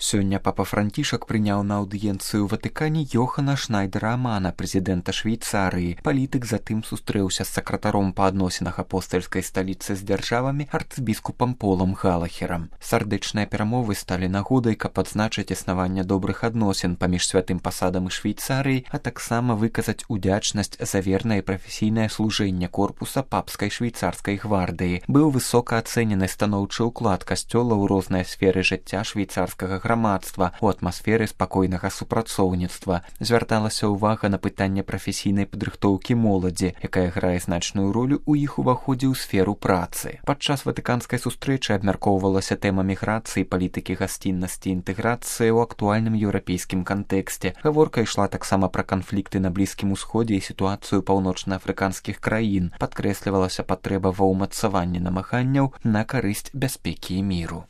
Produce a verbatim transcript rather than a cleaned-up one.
Сёння папа Францішак прыняў на аўдыенцыю ў Ватыкане Йохана Шнайдера-Амана, прэзідэнта Швейцарыі. Палітык затым сустрэўся з сакратаром па адносінах апостальскай сталіцы з дзяржавамі арцыбіскупам Полам Галахерам. Сардэчныя перамовы сталі нагодай, каб адзначыць існаванне добрых адносін паміж святым пасадам і Швейцарыяй, а таксама выказаць удзячнасць за вернае і прафесійнае служэнне корпуса папскай швейцарскай гвардыі. Быў высока ацэнены станоўчы ўклад касцёла ў розныя сферы жыцця швейцарскага грамадства у атмасферы спакойнага супрацоўніцтва. Звярталася ўвага на пытанне прафесійнай падрыхтоўкі моладзі, якая грае значную ролю ў іх уваходзе ў сферу працы. Падчас ватыканскай сустрэчы абмяркоўвалася тэма міграцыі, палітыкі гасціннасці і інтэграцыі ў актуальным еўрапейскім кантэксце. Гаворка ішла таксама пра канфлікты на Блізкім усходзе і сітуацыю паўночнаафрыканскіх краін. Падкрэслівалася патрэба ва ўмацаванні намаганняў на карысць бяспекі і міру.